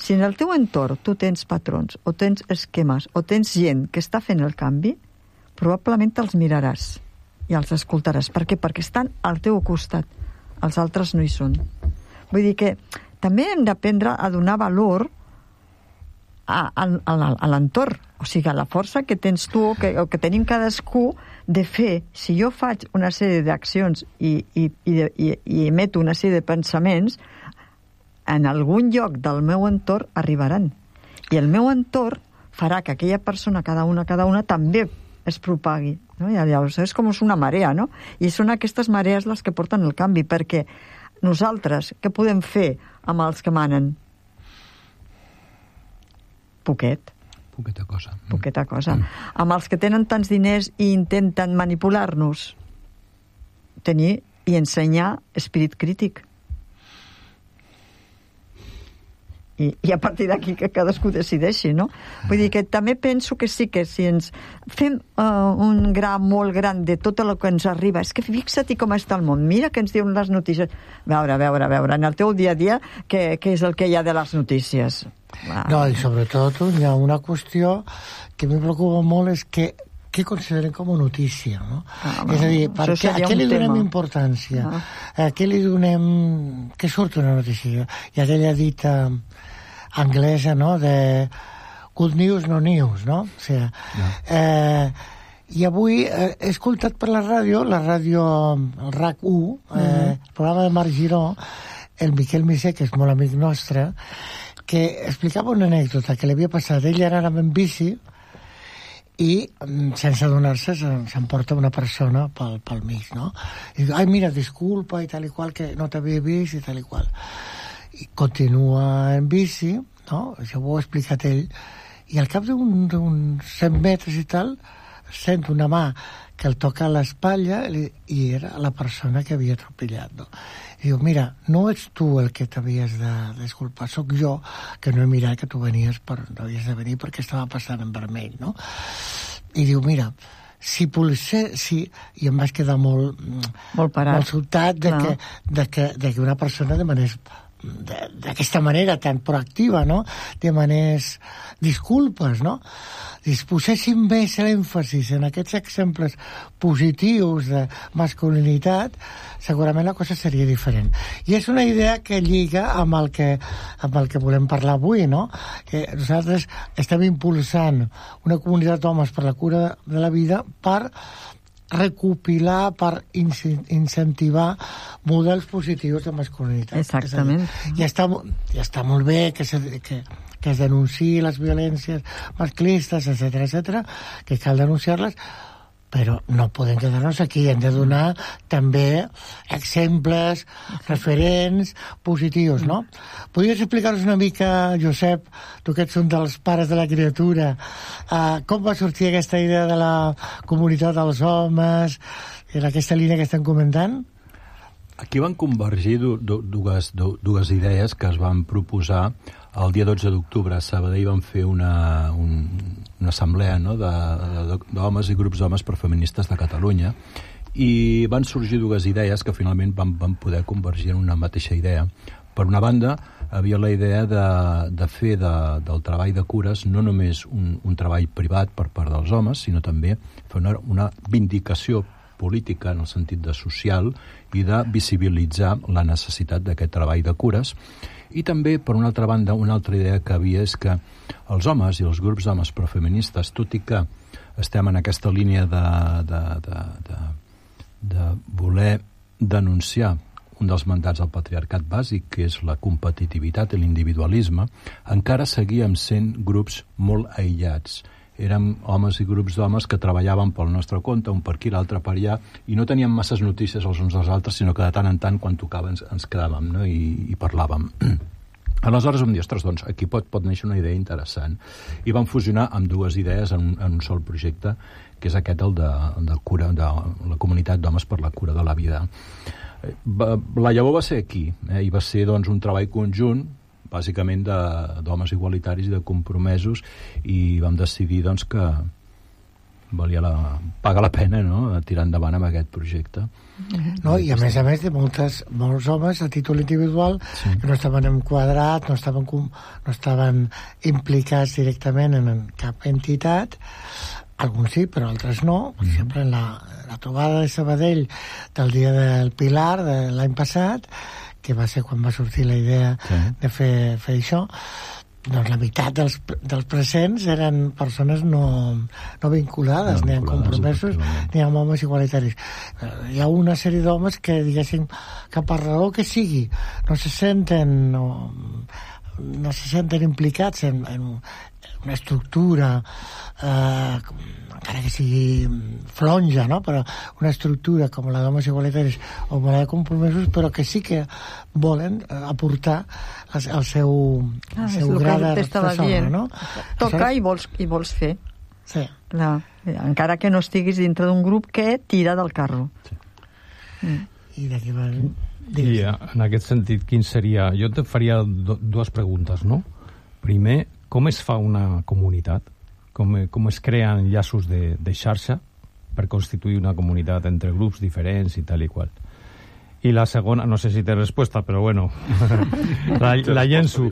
Si en el teu entorn tu tens patrons, o tens esquemes, o tens gent que està fent el canvi, probablement te'ls miraràs. i els escoltaràs. Per què? Perquè estan al teu costat. Els altres no hi són. Vull dir que també hem d'aprendre a donar valor a l'entorn, o sigui, a la força que tens tu o que tenim cadascú de fer. Si jo faig una sèrie d'accions i emeto una sèrie de pensaments, en algun lloc del meu entorn arribaran. I el meu entorn farà que aquella persona, cada una, també es propagui. No? I llavors és com una marea, no? I són aquestes marees les que porten el canvi, perquè nosaltres, què podem fer amb els que manen? Poqueta cosa. Amb els que tenen tants diners i intenten manipular-nos, tenir i ensenyar esperit crític. I a partir d'aquí que cadascú decideixi, no? Vull dir que també penso que sí que si ens fem un gra molt gran de tot el que ens arriba, és que fixa-t'hi com està el món, mira que ens diuen les notícies. A veure, en el teu dia a dia, què és el que hi ha de les notícies? No, i sobretot hi ha una qüestió que em preocupa molt, és que què consideren com a notícia, no? És a dir, a què li donem importància? A què li donem... Què surt una notícia? Hi ha aquella dita anglesa, no?, de good news, no news, no? O sigui, i avui he escoltat per la ràdio, el RAC1, el programa de Marc Giró, el Miquel Misé, que és molt amic nostre, que explicava una anècdota que li havia passat. Ell ara anava en bici i, sense adonar-se, s'emporta una persona pel mig, no? I diu, ai, mira, disculpa, i tal i qual, que no t'havia vist, i tal i qual. I continua en bici, no? Això ho ha explicat ell, i al cap d'uns 100 metres i tal, sent una mà que el toca a l'espatlla i era la persona que havia atropellat, no? I diu, mira, no ets tu el que t'havies de disculpar, sóc jo que no he mirat que tu venies no havies de venir perquè estava passant en vermell, no? I diu, mira, si i em vaig quedar molt parat, molt sobtat de que una persona demanés d'aquesta manera tan proactiva, no?, demanés disculpes, no? Si poséssim més l'èmfasis en aquests exemples positius de masculinitat, segurament la cosa seria diferent. I és una idea que lliga amb el que volem parlar avui, no? Que nosaltres estem impulsant una comunitat d'homes per la cura de la vida per recopilar, per incentivar models positius de masculinitat. Exactament. Ja està molt bé que es denunciï les violències masclistes, etc., que cal denunciar-les, però no podem quedar-nos aquí, hem de donar també exemples, referents positius, no? Podries explicar-nos una mica, Josep, tu que ets un dels pares de la criatura, com va sortir aquesta idea de la comunitat dels homes, en aquesta línia que estem comentant? Aquí van convergir dues idees que es van proposar el dia 12 d'octubre. A Sabadell van fer una assemblea, no?, d'homes i grups d'homes per feministes de Catalunya, i van sorgir dues idees que finalment van poder convergir en una mateixa idea. Per una banda, havia la idea de fer del treball de cures no només un treball privat per part dels homes, sinó també fer una vindicació política en el sentit de social i de visibilitzar la necessitat d'aquest treball de cures. I també, per una altra banda, una altra idea que havia és que els homes i els grups d'homes profeministes, tot i que estem en aquesta línia de voler denunciar un dels mandats del patriarcat bàsic, que és la competitivitat i l'individualisme, encara seguíem sent grups molt aïllats. Érem homes i grups d'homes que treballaven pel nostre compte, un per aquí, l'altre per allà, i no teníem masses notícies els uns dels altres, sinó que de tant en tant, quan tocava, ens quedàvem, no?, i parlàvem. Aleshores vam dir, ostres, doncs aquí pot néixer una idea interessant. I vam fusionar amb dues idees en un sol projecte, que és aquest, el de cura, de la comunitat d'homes per la cura de la vida. La llavor va ser aquí, i va ser, doncs, un treball conjunt, bàsicament d'homes igualitaris i de compromesos, i vam decidir, doncs, que paga la pena, no?, tirar endavant amb aquest projecte. No, i a més de molts homes a títol individual, sí, que no estaven enquadrats, no estaven implicats directament en cap entitat, alguns sí, però altres no. Per exemple, en la trobada de Sabadell del dia del Pilar de l'any passat, que va ser quan va sortir la idea de fer això, doncs la meitat dels presents eren persones no vinculades, ni amb compromisos ni amb homes igualitaris. Hi ha una sèrie d'homes que, diguéssim, que per raó que sigui no se senten implicats en una estructura, encara que sigui flonja, no? Però una estructura com la d'homes igualitaris o la de compromisos, però que sí que volen aportar el seu gra de sorra, no? Tocar i vols fer. Sí. Clar. Encara que no estiguis dintre d'un grup que tira del carro. Sí. I d'aquí va... I en aquest sentit, quin seria... Jo te faria dues preguntes, no? Primer, com es fa una comunitat? Com es creen llaços de xarxa per constituir una comunitat entre grups diferents i tal i qual? I la segona, no sé si té resposta, però bueno, la llenço.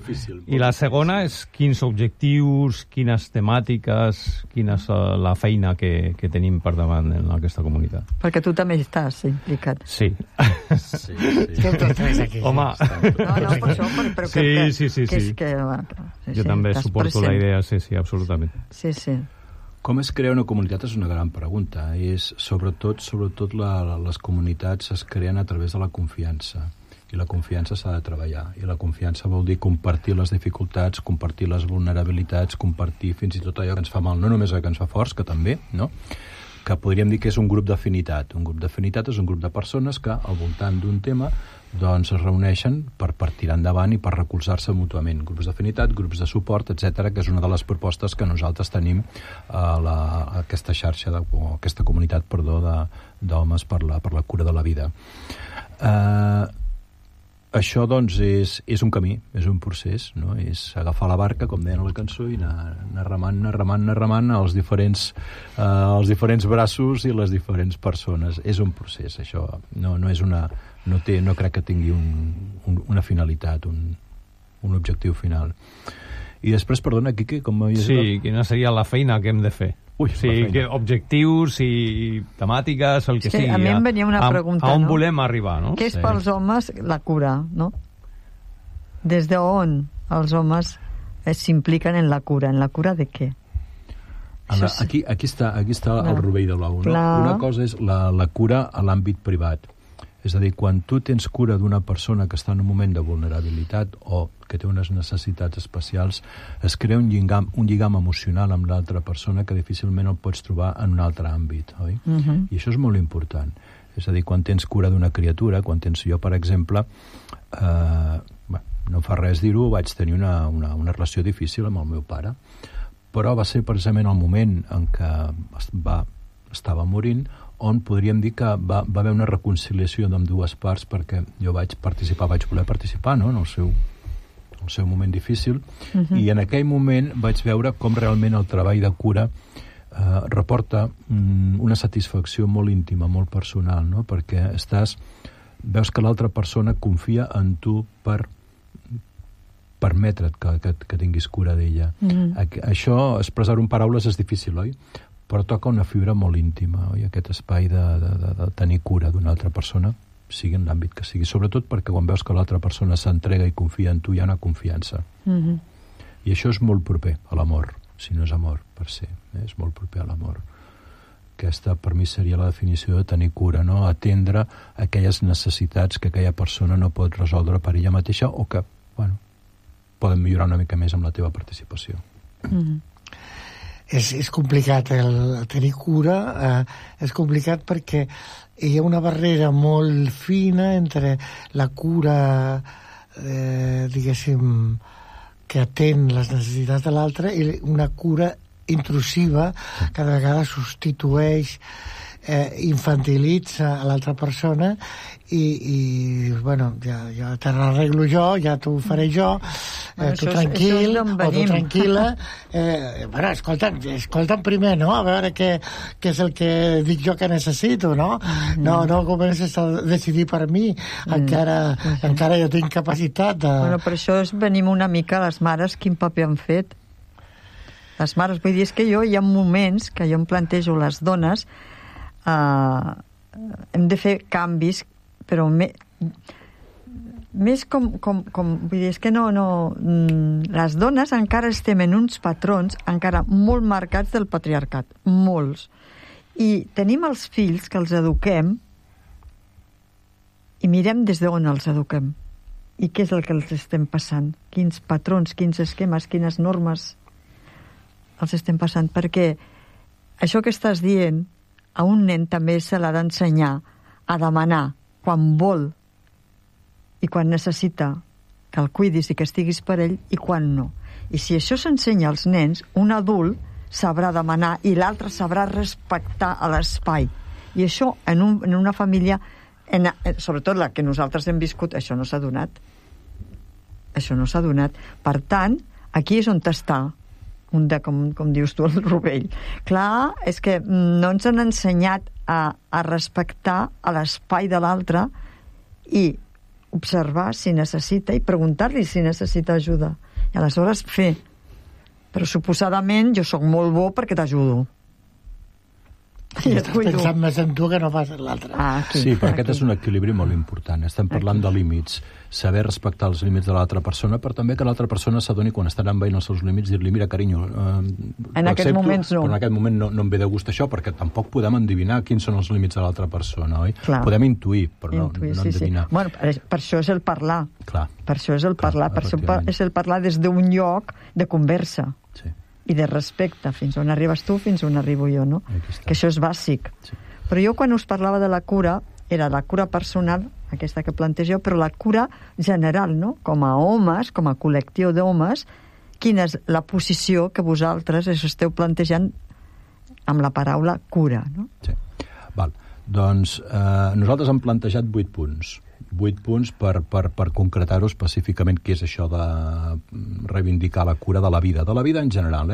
I la segona és quins objectius, quines temàtiques, quina és la feina que tenim per davant en aquesta comunitat. Perquè tu també estàs implicat. Sí. Sí. Home. No, per això, però sí. Jo també suporto la idea, sí, absolutament. Sí. Com es crea una comunitat és una gran pregunta. És sobretot les comunitats es creen a través de la confiança. I la confiança s'ha de treballar. I la confiança vol dir compartir les dificultats, compartir les vulnerabilitats, compartir fins i tot allò que ens fa mal, no només el que ens fa forts, que també, no? Que podríem dir que és un grup d'afinitat. Un grup d'afinitat és un grup de persones que, al voltant d'un tema, doncs es reuneixen per tirar endavant i per recolzar-se mútuament. Grups d'afinitat, grups de suport, etc, que és una de les propostes que nosaltres tenim a aquesta xarxa, o aquesta comunitat, d'homes per la cura de la vida. Això, doncs, és un camí, és un procés, no? És agafar la barca, com deien a la cançó, i anar remant els diferents braços i les diferents persones. És un procés, això. No crec que tingui una finalitat, un objectiu final. I després, perdona, Quique, com m'havies dit? Sí, quina seria la feina que hem de fer? Objectius i temàtiques, el que sigui. A mi em venia una pregunta, a on volem arribar, no? Què és pels homes la cura, no? Des d'on els homes s'impliquen en la cura? En la cura de què? Aquí està el rovell de l'ou, no? Una cosa és la cura a l'àmbit privat. És a dir, quan tu tens cura d'una persona que està en un moment de vulnerabilitat o que té unes necessitats especials, es crea un lligam emocional amb l'altra persona que difícilment el pots trobar en un altre àmbit, oi? I això és molt important. És a dir, quan tens cura d'una criatura, quan tens jo, per exemple, no fa res dir-ho, vaig tenir una relació difícil amb el meu pare, però va ser precisament el moment en què estava morint on podríem dir que va haver una reconciliació d'ambdues parts, perquè jo vaig voler participar, no?, en el seu moment difícil, i en aquell moment vaig veure com realment el treball de cura reporta una satisfacció molt íntima, molt personal, no?, perquè veus que l'altra persona confia en tu per permetre't que tinguis cura d'ella. Això, expressar-ho en paraules és difícil, oi? Però toca una fibra molt íntima, oi? Aquest espai de tenir cura d'una altra persona, sigui en l'àmbit que sigui, sobretot perquè quan veus que l'altra persona s'entrega i confia en tu, hi ha una confiança. I això és molt proper a l'amor, si no és amor per se, és molt proper a l'amor. Aquesta, per mi, seria la definició de tenir cura, no? Atendre aquelles necessitats que aquella persona no pot resoldre per ella mateixa o que, poden millorar una mica més amb la teva participació. És complicat el tenir cura, és complicat perquè hi ha una barrera molt fina entre la cura, diguéssim, que atén les necessitats de l'altre i una cura intrusiva que cada vegada substitueix, infantilitza a l'altra persona i ja te l'arreglo jo, ja t'ho faré jo, tu tranquil o tu tranquil·la. Escolta'm primer, no? A veure què és el que dic jo que necessito, no? No comences a decidir per mi, encara jo tinc capacitat de... Per això venim una mica les mares, quin paper han fet. les mares. Vull dir, és que hi ha moments que jo em plantejo les dones, hem de fer canvis, però més com vull dir, és que les dones encara estem en uns patrons encara molt marcats del patriarcat, molts. I tenim els fills que els eduquem i mirem des d'on els eduquem. I què és el que els estem passant? Quins patrons, quins esquemes, quines normes els estem passant? Perquè això que estàs dient, a un nen també se l'ha d'ensenyar a demanar quan vol i quan necessita que el cuidis i que estiguis per ell i quan no. I si això s'ensenya als nens, un adult sabrà demanar i l'altre sabrà respectar a l'espai. I això en una família, sobretot la que nosaltres hem viscut, això no s'ha donat. Això no s'ha donat. Per tant, aquí és on està com dius tu, el rovell. Clar, és que no ens han ensenyat a respectar a l'espai de l'altre i observar si necessita i preguntar-li si necessita ajuda. I aleshores fer. Però suposadament jo sóc molt bo perquè t'ajudo. I estàs pensant més en tu que no pas en l'altre. Sí, però aquest és un equilibri molt important. Estem parlant de límits, saber respectar els límits de l'altra persona, però també que l'altra persona s'adoni quan estan envaint els seus límits, dir-li, mira, carinyo, en aquests moments no. Però en aquest moment no em ve de gust això, perquè tampoc podem endevinar quins són els límits de l'altra persona, oi? Clar. Podem intuir, però no endevinar. Sí. Bueno, per això és el parlar. Clar. Per això és el parlar. Per això és el parlar des d'un lloc de conversa. Sí. I de respecte, fins on arribes tu, fins on arribo jo, no? Que això és bàsic. Sí. Però jo quan us parlava de la cura, era la cura personal, aquesta que plantegeu, però la cura general, no? Com a homes, com a col·lectiu d'homes, quina és la posició que vosaltres esteu plantejant amb la paraula cura, no? Sí. Val. Doncs nosaltres hem plantejat 8 punts. 8 punts per concretar-ho específicament què és això de reivindicar la cura de la vida en general,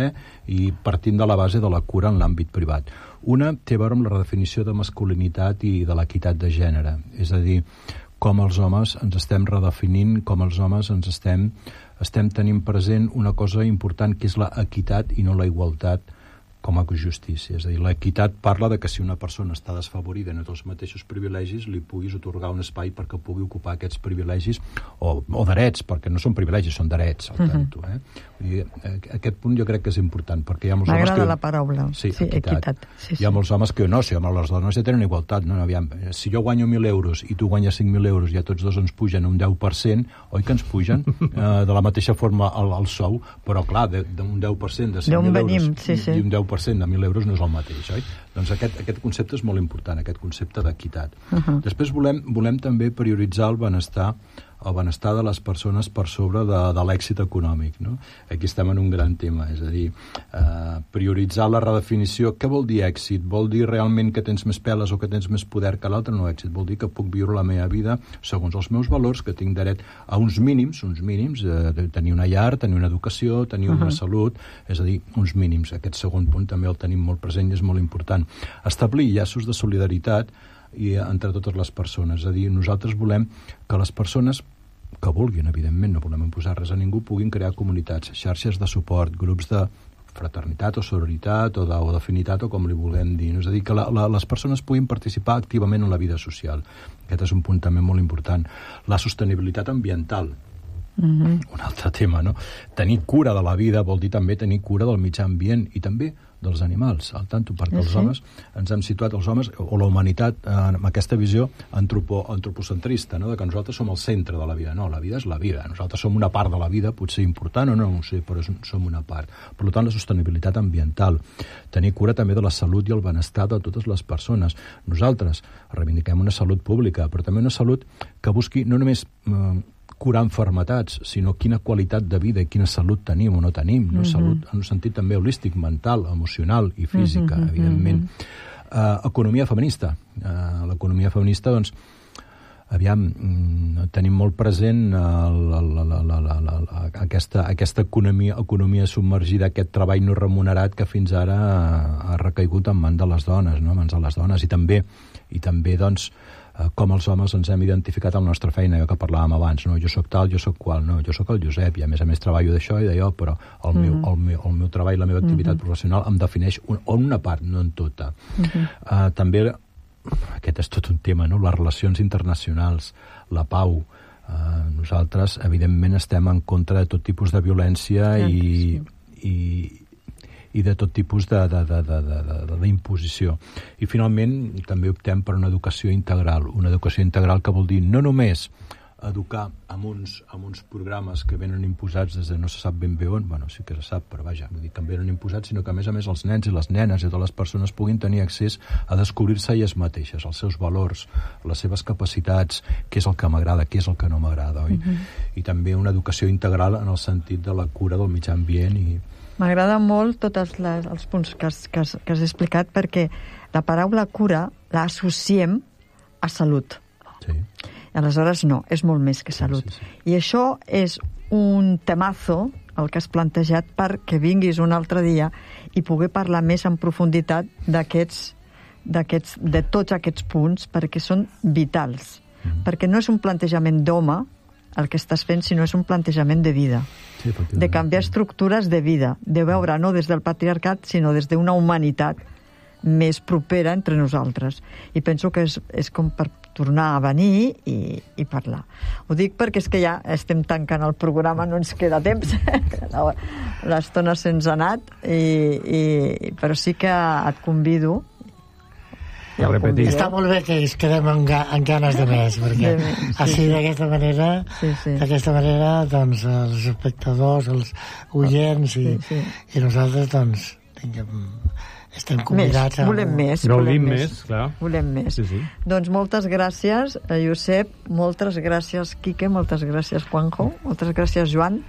i partint de la base de la cura en l'àmbit privat. Una té a veure amb la redefinició de masculinitat i de l'equitat de gènere, és a dir, com els homes ens estem redefinint, com els homes ens estem tenint present una cosa important que és l'equitat i no la igualtat com a justícia. És a dir, l'equitat parla de que si una persona està desfavorida en els mateixos privilegis, li puguis atorgar un espai perquè pugui ocupar aquests privilegis o drets, perquè no són privilegis, són drets, al tanto. Vull dir, aquest punt jo crec que és important, perquè hi ha molts homes que... M'agrada la paraula. Sí, equitat. Sí. Hi ha molts homes que no, les dones ja tenen igualtat. No? Aviam, si jo guanyo 1.000 euros i tu guanyes 5.000 euros i a tots dos ens pugen un 10%, oi que ens pugen de la mateixa forma el sou, però clar, d'un 10% de 5.000 euros i un 10% de 1.000 euros no és el mateix, oi? Doncs aquest concepte és molt important, aquest concepte d'equitat. Després volem també prioritzar el benestar de les persones per sobre de l'èxit econòmic, no? Aquí estem en un gran tema, és a dir, prioritzar la redefinició. Què vol dir èxit? Vol dir realment que tens més peles o que tens més poder que l'altre? No, èxit vol dir que puc viure la meva vida segons els meus valors, que tinc dret a uns mínims, tenir una llar, tenir una educació, tenir una salut, és a dir, uns mínims. Aquest segon punt també el tenim molt present i és molt important. Establir llaços de solidaritat i entre totes les persones. És a dir, nosaltres volem que les persones que vulguin, evidentment, no volem imposar res a ningú, puguin crear comunitats, xarxes de suport, grups de fraternitat o sororitat o d'afinitat o com li vulguem dir. És a dir, que les persones puguin participar activament en la vida social. Aquest és un punt també molt important. La sostenibilitat ambiental, un altre tema, no? Tenir cura de la vida vol dir també tenir cura del mitjà ambient i també dels animals, al tanto, perquè els homes ens hem situat, els homes o la humanitat, amb aquesta visió antropocentrista, no? De que nosaltres som el centre de la vida. No, la vida és la vida. Nosaltres som una part de la vida, potser important o no ho sé, però som una part. Per tant, la sostenibilitat ambiental. Tenir cura també de la salut i el benestar de totes les persones. Nosaltres reivindiquem una salut pública, però també una salut que busqui no només curar malalties, sinó quina qualitat de vida i quina salut tenim o no tenim, no? Salut en un sentit també holístic, mental, emocional i física, evidentment. Economia feminista. L'economia feminista, doncs, aviam, tenim molt present aquesta economia submergida, aquest treball no remunerat que fins ara ha recaigut en mans de les dones, no? En mans de les dones. I també doncs, com els homes ens hem identificat amb la nostra feina, allò que parlàvem abans, no? Jo sóc tal, jo sóc qual, no, jo sóc el Josep, i a més treballo d'això i d'allò, però el meu treball, la meva activitat professional em defineix una part, no en tota. També, aquest és tot un tema, no? Les relacions internacionals, la pau. Nosaltres, evidentment, estem en contra de tot tipus de violència i de tot tipus d'imposició. I finalment també optem per una educació integral que vol dir no només educar amb uns programes que venen imposats des de no se sap ben bé on, bueno, sí que se sap, però vaja, vull dir que venen imposats, sinó que a més els nens i les nenes i totes les persones puguin tenir accés a descobrir-se elles mateixes, els seus valors, les seves capacitats, què és el que m'agrada, què és el que no m'agrada, oi? I també una educació integral en el sentit de la cura del mitjà ambient i... M'agrada molt tots els punts que has explicat, perquè la paraula cura l'associem a salut. Sí. Aleshores, no, és molt més que salut. Sí. I això és un temazo, el que has plantejat, perquè vinguis un altre dia i poder parlar més en profunditat de tots aquests punts, perquè són vitals. Perquè no és un plantejament d'home el que estàs fent, sinó és un plantejament de vida. Sí, de canviar estructures de vida, de veure no des del patriarcat, sinó des d'una humanitat més propera entre nosaltres. I penso que és com per tornar a venir i parlar. Ho dic perquè és que ja estem tancant el programa, no ens queda temps, l'estona se'ns ha anat, però sí que et convido. Està molt bé que ens quedem amb ganes de més, perquè així d'aquesta manera doncs els espectadors, els oients i nosaltres doncs estem convidats volem més. Gaudim més, clar. Volem més. Sí. Doncs moltes gràcies, Josep, moltes gràcies, Quique, moltes gràcies, Juanjo, moltes gràcies, Joan.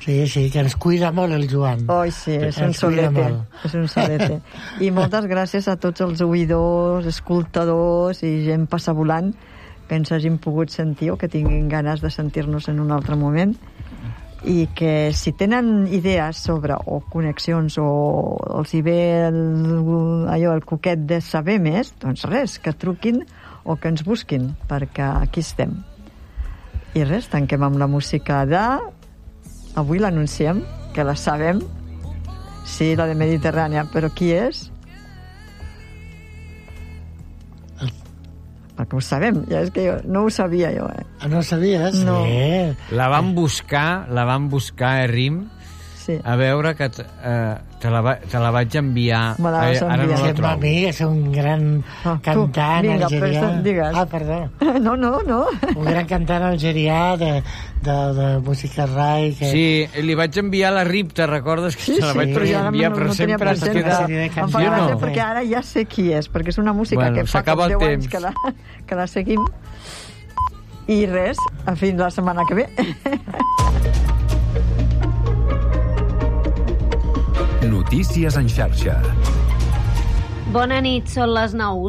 Sí, que ens cuida molt el Joan. Oi, sí, és un solete. I moltes gràcies a tots els oïdors, escoltadors i gent passavolant que ens hagin pogut sentir o que tinguin ganes de sentir-nos en un altre moment, i que si tenen idees sobre o connexions o els hi ve el coquet de saber més, doncs res, que truquin o que ens busquin, perquè aquí estem. I res, tanquem amb la música avui l'anunciem, que la sabem. Sí, la de Mediterrània, però qui és? Perquè ho sabem, ja és que jo no ho sabia jo. No ho sabies? No. Sí. La van buscar a RIM, a veure que te la vaig enviar. Ara no la trobo. És un gran cantant algerià. Digues. Perdó. No. Un gran cantant algerià de música rai. Sí, li vaig enviar la RIM, te recordes que se la vaig enviar, però sempre es queda... Em fa gràcia perquè ara ja sé qui és, perquè és una música que fa com 10 anys que la seguim. I res, fins la setmana que ve. Notícies en xarxa. Bona nit, són les 9.